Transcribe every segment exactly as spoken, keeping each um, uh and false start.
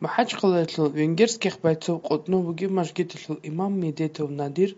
МахӀачхъалаялъул Венгерских байцов къотӀнов вугев мажгиталъул имам Медетов Надир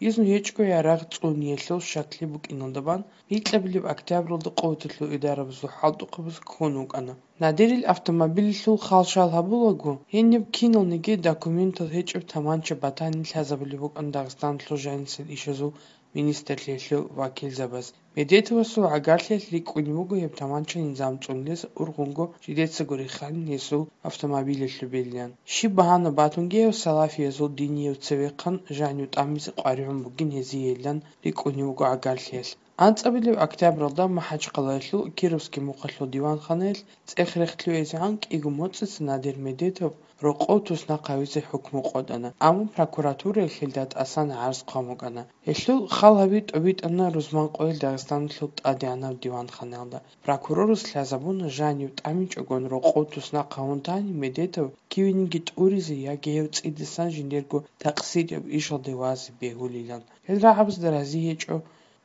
изну гьечӀого ярагъ цӀуниялъул щаклъи букӀиналда бан, гьикьабилеб октябралда къуваталъул идарабазул хӀалтӀухъабаз ккун вукӀана. Надирил автомобилалъул хал-шал гьабулаго, гьениб киналниги документал гьечӀеб таманча батани лъазабулеб букӀана Дагъистаналъул жанисел ишазул министрлъиялъул вакилзабаз. Медетовасул гӀагарлъиялъ рикӀкӀунеб буго гьеб таманча низам цӀунулес, ургъунго жидецаго рихханин гьесул автомобилалъубилан. Щиб багьана батунги гьев салафиязул динияб цевехъан жанив тӀамизе къваригӀун бугин гьезиейилан рикӀкӀунеб буго гӀагарлъиялъ. АнцӀабилеб октябралда МахӀачхъалаялъул Кировский мухъалъул диванханаялъ цӀех-рехъ лъугӀизегӀан кӀиго моцӀица Надир Медетов рокъов туснахъ гьавизе хӀукму къотӀана, амма прокуратураялъ гьелда тӀасан гӀарз хъван букӀана. Гьелъул хал гьаби тӀобитӀана рузманкъоялъ Дагъистаналъул тӀадегӀанаб диванханаялда. Прокурорас лъазабуна жанив тӀамичӀогон рокъов туснахъ гьавун тани Медетов кивениги тӀуризе яги гьев цӀидасан жиндирго такъсирияб ишалде вазе бегьулилан. Гьел рагӀабазда рази гьечӀо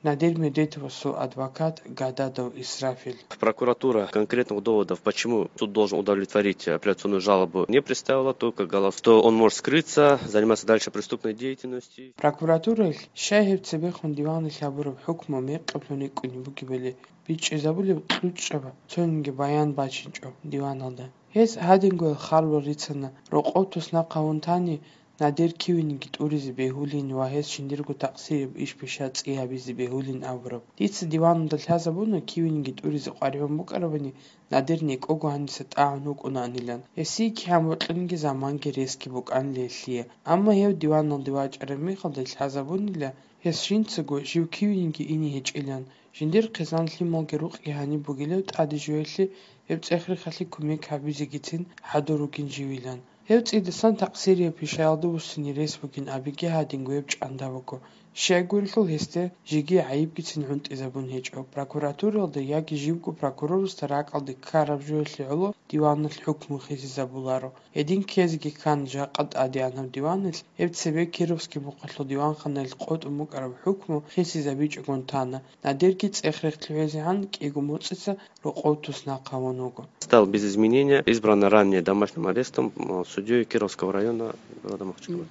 Надир Медетовасул адвокат Гададов Исрафил. Прокуратура конкретных доводов, почему суд должен удовлетворить апелляционную жалобу, не представила, только говорила, что он может скрыться, заниматься дальше преступной деятельностью. Прокуратураялъ щай гьеб цебехун диваналъ гьабураб хӀукму мекъаблъун рикӀкӀунеб бугебали бичӀчӀизабулеб кьучӀаб цониги баян бачинчӀо диваналда. Гьес гьадингоял харбал рицана, рокъов туснахъ гьавун тани, Надир кивениги тӀуризе бегьулин ва гьес жиндирго такъсирияб иш-пиша цӀи гьабизе бегьулин абураб. Дица диваналда лъазабуна кивениги тӀуризе къваригӀун букӀарабани, Надир некӀого гьаниса тӀагӀун вукӀунаанилан. Гьесие кигӀан бокьаниги заманги ресги букӀанила гьелъие. Амма гьев диваналде вачӀараб мехалда лъазабунила, гьес жинцаго жив кивениги ине гьечӀилан. Жиндир хъизан-лъималги рукъги гьаниб бугилев тӀаде жоялъе гьеб цӀех-рехалъе кумек гьабизегицин хӀадур ругин живилан. Гьев цӀидасан такъсирияб пишаялда вуссине рес бугин абиги гьадинго гьеб чӀанда буго. Щайгурелъул гьесде жеги гӀайибгицин гӀунтӀизабун гьечӀо, прокуратуралда яги живго прокурорасда ракӀалде ккараб жоялъе гӀоло диваналъ хӀукму хисизабуларо. Гьедин ккезеги ккан жакъа тӀадегӀанаб диваналъ, гьеб цебе Кировский мухъалъул диванханаялъ къотӀун букӀараб хӀукму хисизабичӀогун тана, Надирги цӀех-рехъ лъугӀизегӀан кӀиго моцӀица рокъов туснахъ гьавун вуго. Стал без изменения, избрана ранее домашним арестом, м, судьей Кировского района города Махачкала.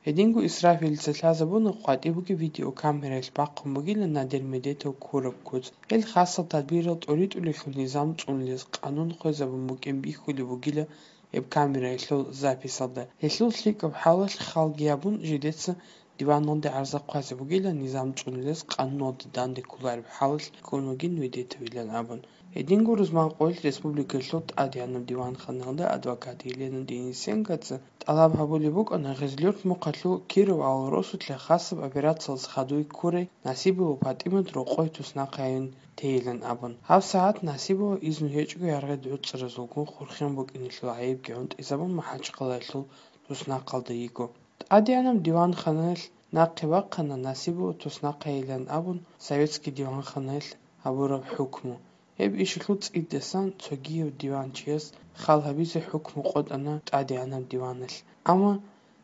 Гьединго Исрафилица лъазабуна къватӀиб бугеб видеокамераялъ бахъун бугилан Надир Медетов ккураб куц. Гьел хасал тадбирал тӀоритӀулелъул низам цӀунулес къанун хвезабун букӀин бихьулеб бугила гьеб камераялъул записалда. Гьелъул лъикӀаб хӀалалъ халги гьабун, жидеца диваналде гӀарза хъвазе бугила низам цӀунулес къануналда данде кколареб хӀалалъ ккун вугин Медетовилан абун. Гьединго рузманкъоялъ республикалъул тӀадегӀанаб диванханаялда адвокат Елена Денисенкоца тӀалаб гьабулеб букӀана Гъезлъюрт мухъалъул Кировал росулъа хасаб операциялъ хадуй ккурай Насибова ПатӀимат рокъой туснахъайин тейилан абун. Гьаб сагӀат Насибова изну гьечӀого яргъи гӀуцӀаразулгун хурхен букӀинелъул гӀайибги гӀунтӀизабун МахӀачхъалаялъул туснахъалда йиго. ТӀадегӀанаб диванханаялъ нахъе бахъана Насибова туснахъайилан абун советский диванханаялъ гьабураб хӀукму. Гьеб ишалъул цӀидасан цогияв диванчияс хал гьабизе хӀукму къотӀана тӀадегӀанаб диваналъ. Амма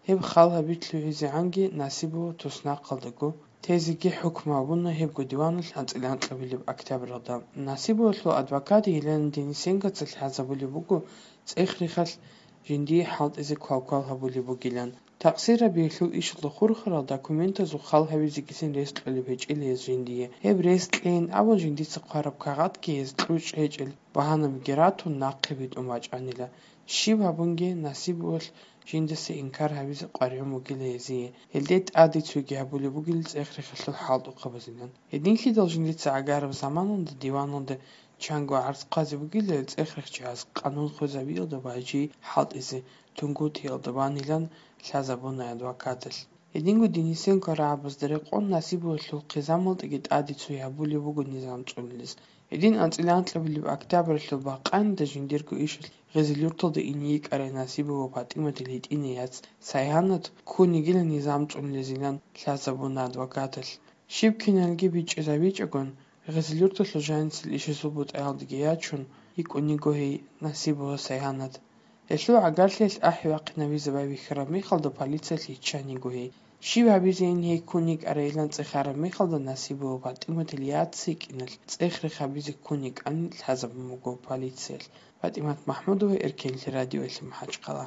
гьеб хал гьаби лъугӀизегӀанги Насибова туснахъалдаго тезеги хӀукму гьабуна гьебго диваналъ анцӀила анкьабилеб октябралда. Насибовалъул адвокат Елена Денисенкоца лъазабулеб буго цӀех-рехалъ жиндие хӀалтӀизе квалквал гьабулеб бугилан. Такъсирабиялъул ишалда хурхарал документазул хал гьабизегицин рес кьолеб гьечӀила гьез жиндие. Гьеб рес кьейин абун жиндица хъвараб кагъатги гьез кьучӀ гьечӀел багьанабиги ратун нахъе битӀун бачӀанила. Щиб гьабунги Насибовалъ жиндаса инкар гьабизе къваригӀун бугила гьезие. Гьелде тӀаде цойги гьабулеб бугила цӀех-рехалъул хӀалтӀухъабазилан. Гьединлъидал жиндица гӀагараб заманалда диваналда чанго гӀарз хъвазе бугила гьел цӀех-рехчияс къанун хвезабиялда ва жий хӀалтӀизе Тунгутиялда ванилан лъазабуна адвокаталъ. Гьединго Денисенко рагӀабазда рекъон Насибовалъул хъизамалдаги тӀаде цой гьабулеб буго низам цӀунулес. Гьедин анцӀила анкьабилеб октябралъул бакъанида жиндирго ишалъ Гъезлъюрталда ине йикӀарай Насибова ПатӀиматил гьитӀинай яц Сайгьанат ккун йигила низам цӀунулезилан лъазабуна адвокаталъ. Щиб киналги бичӀчӀизабичӀогон, Гъезлъюрталъул жанисел ишазул бутӀаялдаги ячун йикӀун йиго гьей Насибова Сайгьанат. Гьелъул гӀагарлъиялъ ахӀи-вахъинабизе байбихьараб мехалда полициялъ йиччан йиго гьей. Щиб гьабизейин гьей ккун йикӀарайилан цӀехараб мехалда Насибова ПатӀиматил яц йикӀиналъ цӀех-рехабизе ккун йикӀанин лъазабун буго полициялъ. ПатӀимат МахӀмудова, Эркенлъи радиоялъ МахӀачхъала.